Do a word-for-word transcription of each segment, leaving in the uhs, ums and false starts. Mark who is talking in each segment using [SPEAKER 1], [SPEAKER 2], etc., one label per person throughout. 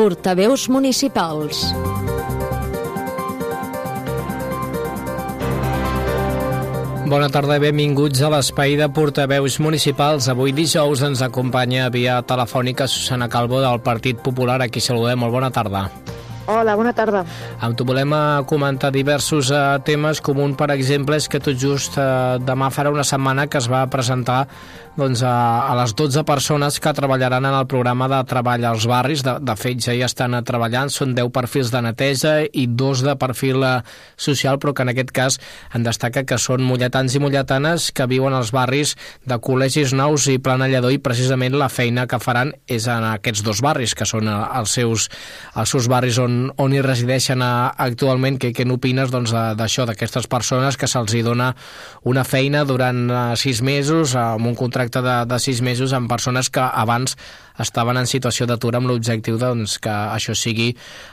[SPEAKER 1] Portaveus municipals.
[SPEAKER 2] Bona tarda i benvinguts a l'espai de portaveus municipals. Avui dijous ens acompanya via telefònica Susana Calvo del Partit Popular. Aquí saludem. Molt bona tarda.
[SPEAKER 3] Hola, bona tarda.
[SPEAKER 2] Amb tu volem comentar diversos uh, temes. Com un, per exemple, és que tot just uh, demà farà una setmana que es va presentar doncs, a, a les dotze persones que treballaran en el programa de treball als barris. De, de fet, ja hi estan treballant. Són deu perfils de neteja i dos de perfil uh, social, però que en aquest cas en destaca que són molletans i molletanes que viuen als barris de Col·legis Nous i Plana Lledó, i precisament la feina que faran és en aquests dos barris, que són uh, els, seus, els seus barris on on hi resideixen actualment. Què, què n'opines doncs, d'això, d'aquestes persones que se'ls hi dona una feina durant sis mesos, amb un contracte de, de sis mesos, amb persones que abans estaven en situació d'atur, amb l'objectiu doncs, que això sigui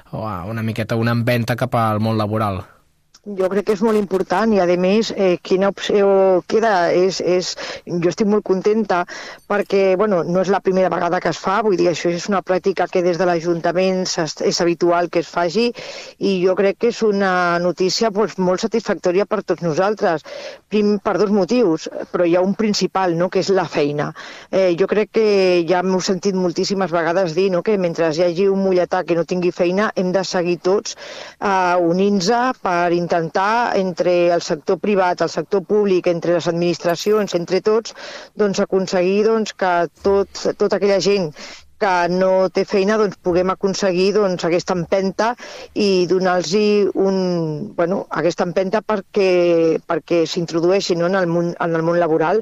[SPEAKER 2] una miqueta una empenta cap al món laboral?
[SPEAKER 3] Jo crec que és molt important i, a més, eh, quina opció queda. És, és, jo estic molt contenta perquè, bueno, no és la primera vegada que es fa, vull dir, això és una pràctica que des de l'Ajuntament és habitual que es faci, i jo crec que és una notícia doncs, molt satisfactòria per tots nosaltres, Prim, per dos motius, però hi ha un principal, no?, que és la feina. Eh, jo crec que ja m'ho he sentit moltíssimes vegades dir, no?, que mentre hi hagi un molletà que no tingui feina hem de seguir tots eh, unint-nos per intentar intentar, entre el sector privat, el sector públic, entre les administracions, entre tots, doncs aconseguir doncs, que tot, tota aquella gent que no té feina doncs, puguem aconseguir doncs, aquesta empenta i donar-los un, bueno, aquesta empenta perquè, perquè s'introdueixin, no?, en el món, en el món laboral.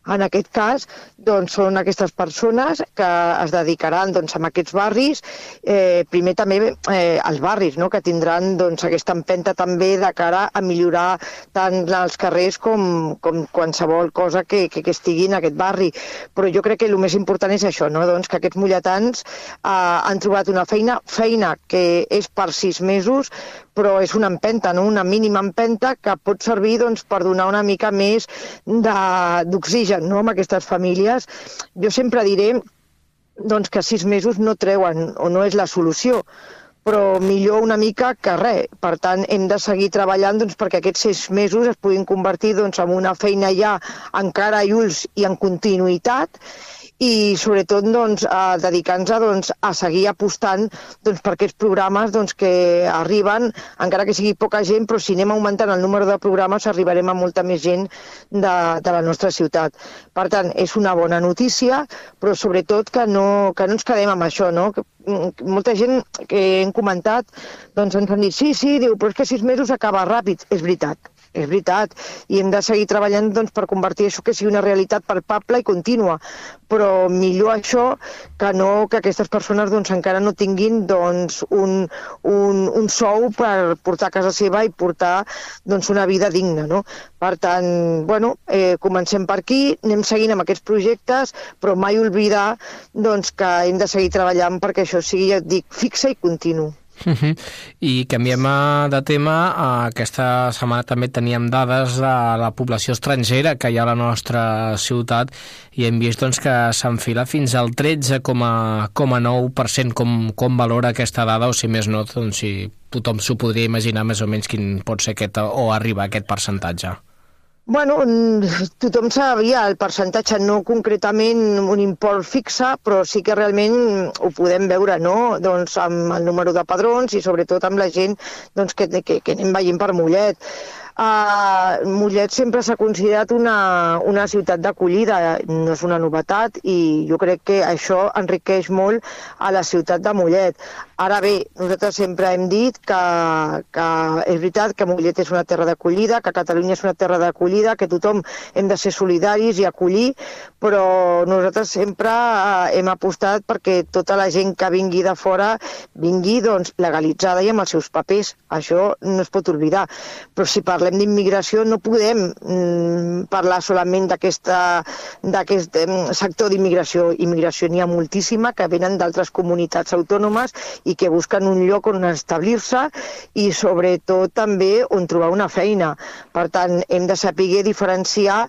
[SPEAKER 3] En aquest cas, doncs, són aquestes persones que es dedicaran doncs, a aquests barris, eh, primer també eh, els barris, no?, que tindran doncs, aquesta empenta també de cara a millorar tant els carrers com, com qualsevol cosa que, que, que estigui en aquest barri. Però jo crec que el més important és això, no?, doncs, que aquests molletans eh, han trobat una feina, feina que és per sis mesos, però és una empenta, no?, una mínima empenta que pot servir doncs, per donar una mica més d'oxigen, no?, amb aquestes famílies. Jo sempre diré doncs, que sis mesos no treuen o no és la solució, però millor una mica que res. Per tant, hem de seguir treballant doncs, perquè aquests sis mesos es puguin convertir doncs, en una feina ja encara i ulls i en continuïtat, i sobretot doncs, a dedicar-nos doncs, a seguir apostant doncs, per aquests programes doncs, que arriben, encara que sigui poca gent, però si anem augmentant el número de programes arribarem a molta més gent de, de la nostra ciutat. Per tant, és una bona notícia, però sobretot que no, que no ens quedem amb això, no? Que, molta gent que hem comentat doncs, ens han dit sí, sí, diu, però és que sis mesos acaba ràpid. És veritat. És veritat, i hem de seguir treballant doncs, per convertir això que sigui una realitat palpable i contínua, però millor això que no que aquestes persones doncs, encara no tinguin doncs, un, un, un sou per portar a casa seva i portar doncs, una vida digna, no? Per tant, bueno, eh, comencem per aquí, anem seguint amb aquests projectes, però mai oblidar doncs, que hem de seguir treballant perquè això sigui, ja et dic, fixe i continu.
[SPEAKER 2] Uh-huh. I canviem de tema. Aquesta setmana també teníem dades de la població estrangera que hi ha a la nostra ciutat i hem vist doncs, que s'enfila fins al tretze coma nou per cent. Com, com valora aquesta dada, o si més no, doncs, si tothom s'ho podria imaginar més o menys quin pot ser aquest, o arribar a aquest percentatge?
[SPEAKER 3] Bueno, tothom sabia el percentatge, no concretament un import fixe, però sí que realment ho podem veure, no?, doncs amb el número de padrons i sobretot amb la gent doncs, que, que, que anem veient per Mollet. Uh, Mollet sempre s'ha considerat una, una ciutat d'acollida, no és una novetat, i jo crec que això enriqueix molt a la ciutat de Mollet. Ara bé, nosaltres sempre hem dit que, que és veritat que Mollet és una terra d'acollida, que Catalunya és una terra d'acollida, que tothom hem de ser solidaris i acollir, però nosaltres sempre hem apostat perquè tota la gent que vingui de fora vingui doncs, legalitzada i amb els seus papers. Això no es pot oblidar. Però si parlem d'immigració no podem mm, parlar solament d'aquest sector d'immigració. Immigració n'hi ha moltíssima que venen d'altres comunitats autònomes i que busquen un lloc on establir-se i sobretot també on trobar una feina. Per tant, hem de saber diferenciar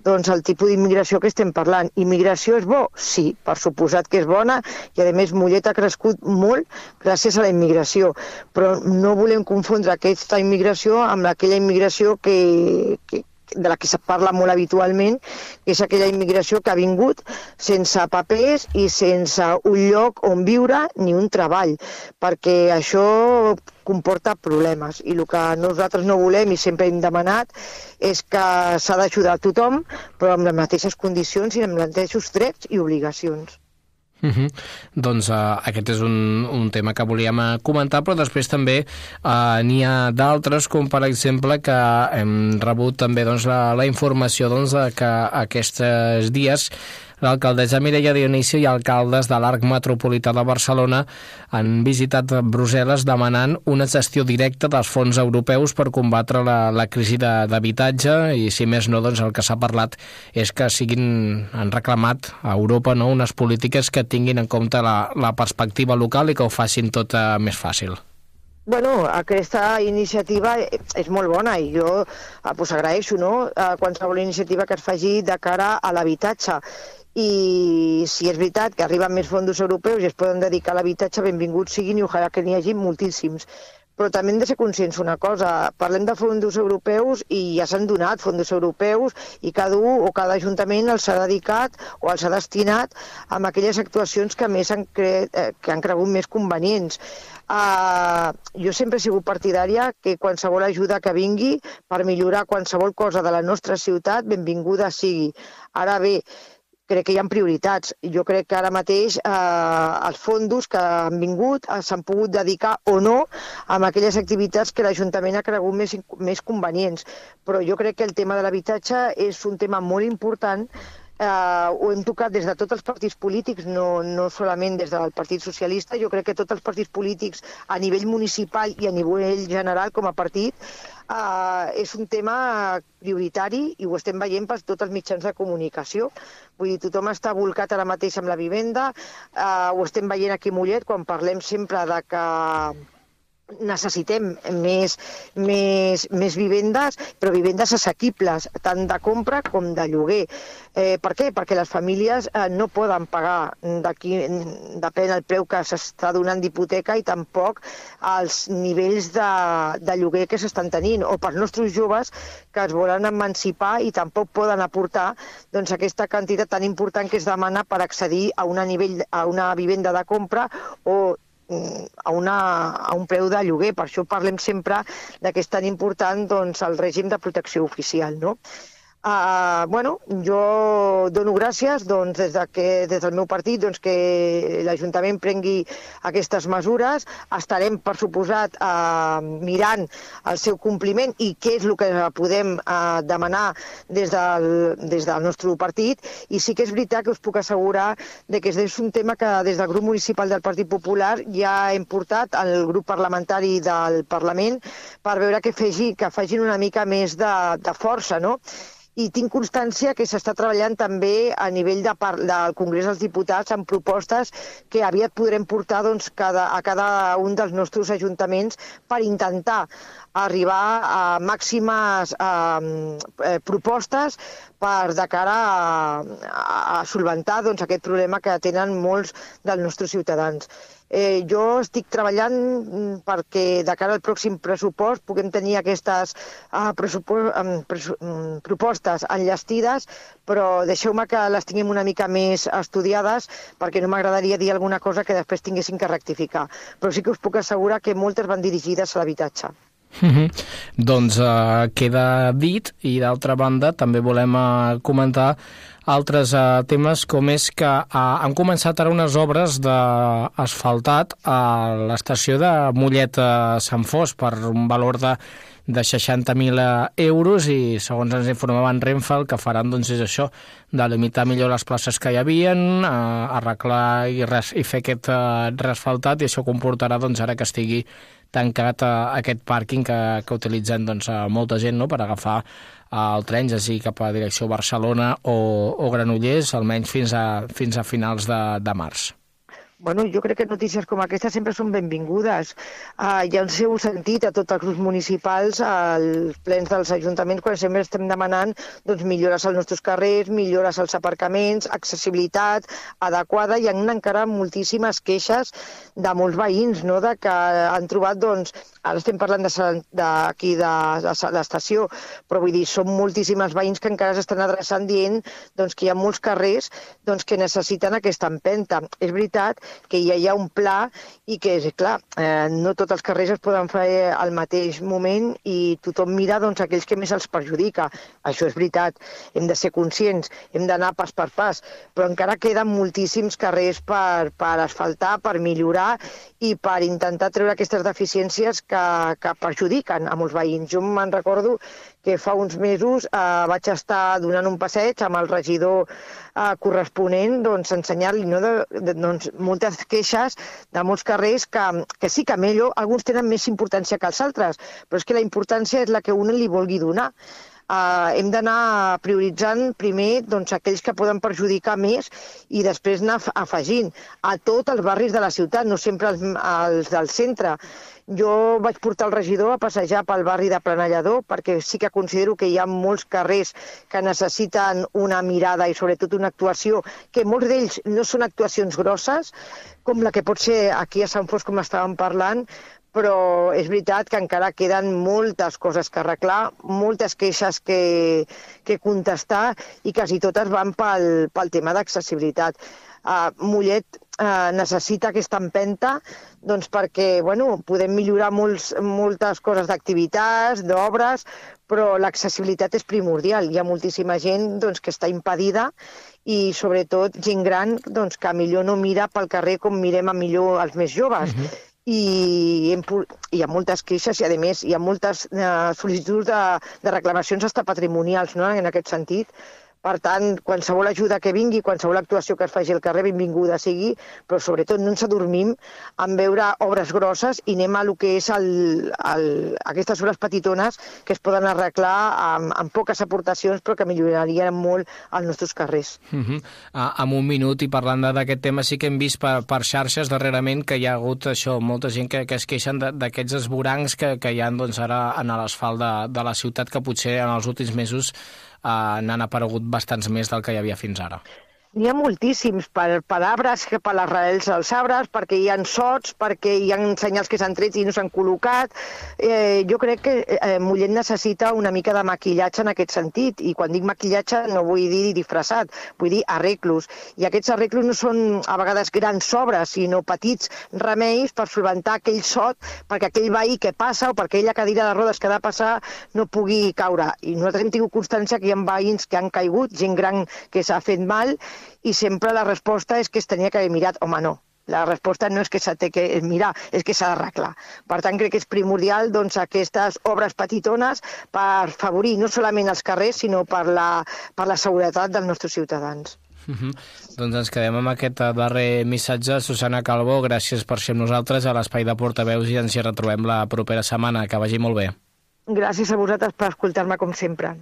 [SPEAKER 3] doncs, el tipus d'immigració que estem parlant. Immigració és bo? Sí, per suposat que és bona, i a més Mollet ha crescut molt gràcies a la immigració, però no volem confondre aquesta immigració amb aquella immigració que, que, de la que se parla molt habitualment, que és aquella immigració que ha vingut sense papers i sense un lloc on viure ni un treball, perquè això comporta problemes. I el que nosaltres no volem i sempre hem demanat és que s'ha d'ajudar a tothom, però amb les mateixes condicions i amb els mateixos drets i obligacions.
[SPEAKER 2] Uh -huh. Doncs uh, aquest és un, un tema que volíem uh, comentar, però després també uh, n'hi ha d'altres, com per exemple que hem rebut també doncs, la, la informació doncs, de que aquests dies l'alcaldessa Mireia Dionisio i alcaldes de l'Arc Metropolità de Barcelona han visitat Brussel·les demanant una gestió directa dels fons europeus per combatre la, la crisi d'habitatge i, si més no, doncs el que s'ha parlat és que siguin, han reclamat a Europa, no, unes polítiques que tinguin en compte la, la perspectiva local i que ho facin tot uh, més fàcil.
[SPEAKER 3] Bueno, aquesta iniciativa és molt bona i jo eh, pues, agraeixo, no?, qualsevol iniciativa que es faci de cara a l'habitatge. I si és veritat que arriben més fons europeus i es poden dedicar a l'habitatge, benvinguts siguin i ojalà que n'hi hagi moltíssims. Però també hem de ser conscients una cosa, parlem de fons europeus i ja s'han donat fons europeus i cada un o cada ajuntament els ha dedicat o els ha destinat a aquelles actuacions que més han, cre... que han cregut més convenients. Uh, jo sempre he sigut partidària que qualsevol ajuda que vingui per millorar qualsevol cosa de la nostra ciutat, benvinguda sigui. Ara bé, crec que hi ha prioritats. Jo crec que ara mateix eh, els fons que han vingut eh, s'han pogut dedicar o no a aquelles activitats que l'Ajuntament ha cregut més, més convenients. Però jo crec que el tema de l'habitatge és un tema molt important. Uh, ho hem tocat des de tots els partits polítics, no, no solament des del Partit Socialista. Jo crec que tots els partits polítics a nivell municipal i a nivell general com a partit uh, és un tema prioritari i ho estem veient per tots els mitjans de comunicació. Vull dir, tothom està volcat ara mateix amb la vivenda, uh, ho estem veient aquí a Mollet quan parlem sempre de que necessitem més, més, més vivendes, però vivendes assequibles, tant de compra com de lloguer. Eh, per què? Perquè les famílies eh, no poden pagar, d'aquí depèn del preu que s'està donant d'hipoteca i tampoc els nivells de, de lloguer que s'estan tenint, o pels nostres joves que es volen emancipar i tampoc poden aportar doncs, aquesta quantitat tan important que es demana per accedir a, una nivell, a una vivenda de compra o a, una, a un preu de lloguer. Per això parlem sempre de que és tan important doncs, el règim de protecció oficial, no? Uh, bueno, jo dono gràcies doncs, des, de que, des del meu partit doncs, que l'Ajuntament prengui aquestes mesures. Estarem, per suposat, uh, mirant el seu compliment i què és el que podem uh, demanar des del, des del nostre partit. I sí que és veritat que us puc assegurar de que és un tema que des del grup municipal del Partit Popular ja hem portat al grup parlamentari del Parlament per veure que, fegi, que facin una mica més de, de força, no? I tinc constància que s'està treballant també a nivell de par del Congrés dels Diputats en propostes que aviat podrem portar doncs, cada, a cada un dels nostres ajuntaments per intentar arribar a màximes eh, propostes per de cara a, a, a solventar doncs, aquest problema que tenen molts dels nostres ciutadans. Eh, jo estic treballant perquè de cara al pròxim pressupost puguem tenir aquestes uh, um, um, propostes enllestides, però deixeu-me que les tinguem una mica més estudiades perquè no m'agradaria dir alguna cosa que després tinguessin que rectificar. Però sí que us puc assegurar que moltes van dirigides a l'habitatge.
[SPEAKER 2] Mm-hmm. Doncs uh, queda dit, i d'altra banda també volem uh, comentar altres uh, temes, com és que uh, han començat ara unes obres d'asfaltat a l'estació de Mollet a Sant Fos per un valor de, de seixanta mil euros i, segons ens informaven Renfe, el que faran doncs, és això, delimitar millor les places que hi havien, uh, arreglar i, res, i fer aquest uh, reasfaltat, i això comportarà, doncs, ara que estigui tancat uh, aquest pàrquing que, que utilitzen doncs, uh, molta gent, no?, per agafar el tren, ja sigui cap a direcció Barcelona o, o Granollers, almenys fins a, fins a finals de, de març.
[SPEAKER 3] bueno, jo crec que notícies com aquesta sempre són benvingudes. Uh, hi ha el seu sentit a tots els grups municipals, als plens dels ajuntaments, quan sempre estem demanant doncs, millores als nostres carrers, millores als aparcaments, accessibilitat adequada. Hi ha encara moltíssimes queixes de molts veïns, no?, de que han trobat, doncs, ara estem parlant d'aquí de, de, de l'estació, però vull dir, són moltíssims veïns que encara s'estan adreçant dient doncs, que hi ha molts carrers doncs, que necessiten aquesta empenta. És veritat que ja hi ha un pla i que, clar, eh, no tots els carrers es poden fer al mateix moment i tothom mira doncs, aquells que més els perjudica. Això és veritat, hem de ser conscients, hem d'anar pas per pas, però encara queden moltíssims carrers per, per asfaltar, per millorar i per intentar treure aquestes deficiències que, que perjudiquen a molts veïns. Jo me'n recordo que fa uns mesos eh, vaig estar donant un passeig amb el regidor eh, corresponent, doncs, ensenyar-li no, de, de, doncs, moltes queixes de molts carrers que, que sí que millor, alguns tenen més importància que els altres, però és que la importància és la que un li vulgui donar. Uh, hem d'anar prioritzant primer doncs, aquells que poden perjudicar més i després anar afegint a tots els barris de la ciutat, no sempre els, els del centre. Jo vaig portar el regidor a passejar pel barri de Planellador perquè sí que considero que hi ha molts carrers que necessiten una mirada i sobretot una actuació, que molts d'ells no són actuacions grosses, com la que pot ser aquí a Sant Fost, com estàvem parlant, però és veritat que encara queden moltes coses que arreglar, moltes queixes que, que contestar i quasi totes van pel, pel tema d'accessibilitat. Uh, Mollet uh, necessita aquesta empenta doncs, perquè bueno, podem millorar molts, moltes coses d'activitats, d'obres, però l'accessibilitat és primordial. Hi ha moltíssima gent doncs, que està impedida i sobretot gent gran doncs, que millor no mira pel carrer com mirem a millor els més joves. Uh-huh. I hi ha moltes queixes i, a més, hi ha moltes eh, sol·licituds de, de reclamacions hasta patrimonials, no?, en aquest sentit. Per tant, qualsevol ajuda que vingui, qualsevol actuació que es faci al carrer, benvinguda sigui, però sobretot no ens adormim en veure obres grosses i anem a lo que és el, el, aquestes obres petitones que es poden arreglar amb, amb poques aportacions però que millorarien molt els nostres carrers.
[SPEAKER 2] Uh-huh. ah, en un minut, i parlant d'aquest tema, sí que hem vist per, per xarxes darrerament que hi ha hagut això, molta gent que, que es queixen d'aquests esvorancs que, que hi ha doncs, ara en l'asfalt de, de la ciutat, que potser en els últims mesos Uh, n'han aparegut bastants més del que hi havia fins ara.
[SPEAKER 3] N'hi ha moltíssims, per, per arbres, per les arrels dels arbres, perquè hi ha sots, perquè hi ha senyals que s'han tret i no s'han col·locat. Eh, jo crec que eh, Mollet necessita una mica de maquillatge en aquest sentit, i quan dic maquillatge no vull dir disfressat, vull dir arreglos. I aquests arreglos no són a vegades grans obres, sinó petits remeis per solventar aquell sot, perquè aquell veí que passa o perquè aquella cadira de rodes que ha de passar no pugui caure. I nosaltres hem tingut constància que hi ha veïns que han caigut, gent gran que s'ha fet mal, i sempre la resposta és que es tenia que haver mirat. Home, no. La resposta no és que s'ha de mirar, és que s'ha d'arreglar. Per tant, crec que és primordial doncs, aquestes obres petitones per favorir no solament els carrers, sinó per la, per la seguretat dels nostres ciutadans.
[SPEAKER 2] Uh-huh. Doncs ens quedem amb aquest darrer missatge. Susana Calbó, gràcies per ser amb nosaltres a l'Espai de Portaveus i ens hi retrobem la propera setmana. Que vagi molt bé.
[SPEAKER 3] Gràcies a vosaltres per escoltar-me com sempre.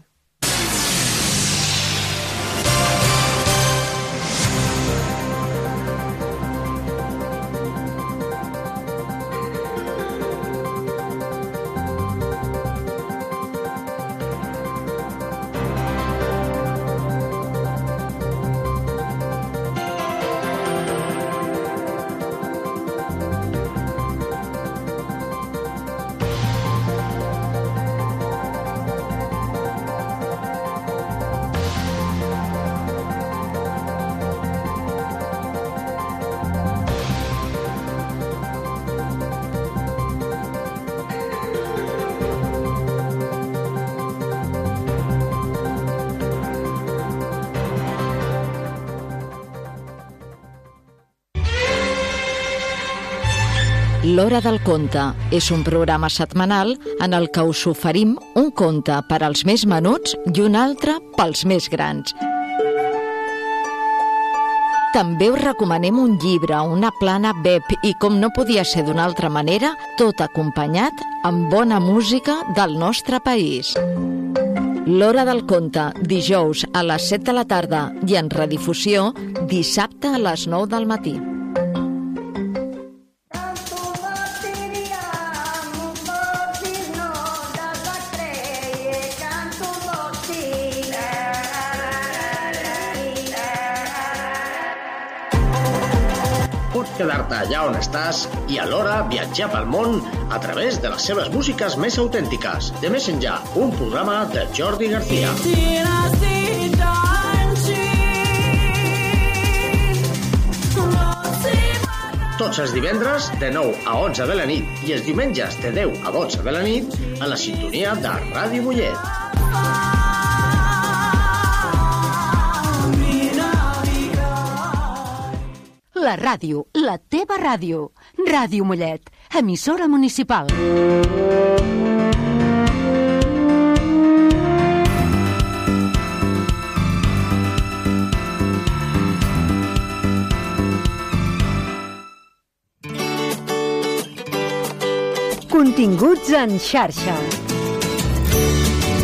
[SPEAKER 1] L'Hora del Conte és un programa setmanal en el que us oferim un conte per als més menuts i un altre pels més grans. També us recomanem un llibre, una plana web i, com no podia ser d'una altra manera, tot acompanyat amb bona música del nostre país. L'Hora del Conte, dijous a les set de la tarda i en redifusió dissabte a les nou del matí.
[SPEAKER 4] quedar-te allà on estàs i alhora viatjar pel món a través de les seves músiques més autèntiques. De Més Enllà, un programa de Jordi García. Tots els divendres de nou a onze de la nit i els diumenges de deu a dotze de la nit a la sintonia de Ràdio Mollet.
[SPEAKER 5] La ràdio, la teva ràdio. Ràdio Mollet, emissora municipal. Continguts en xarxa.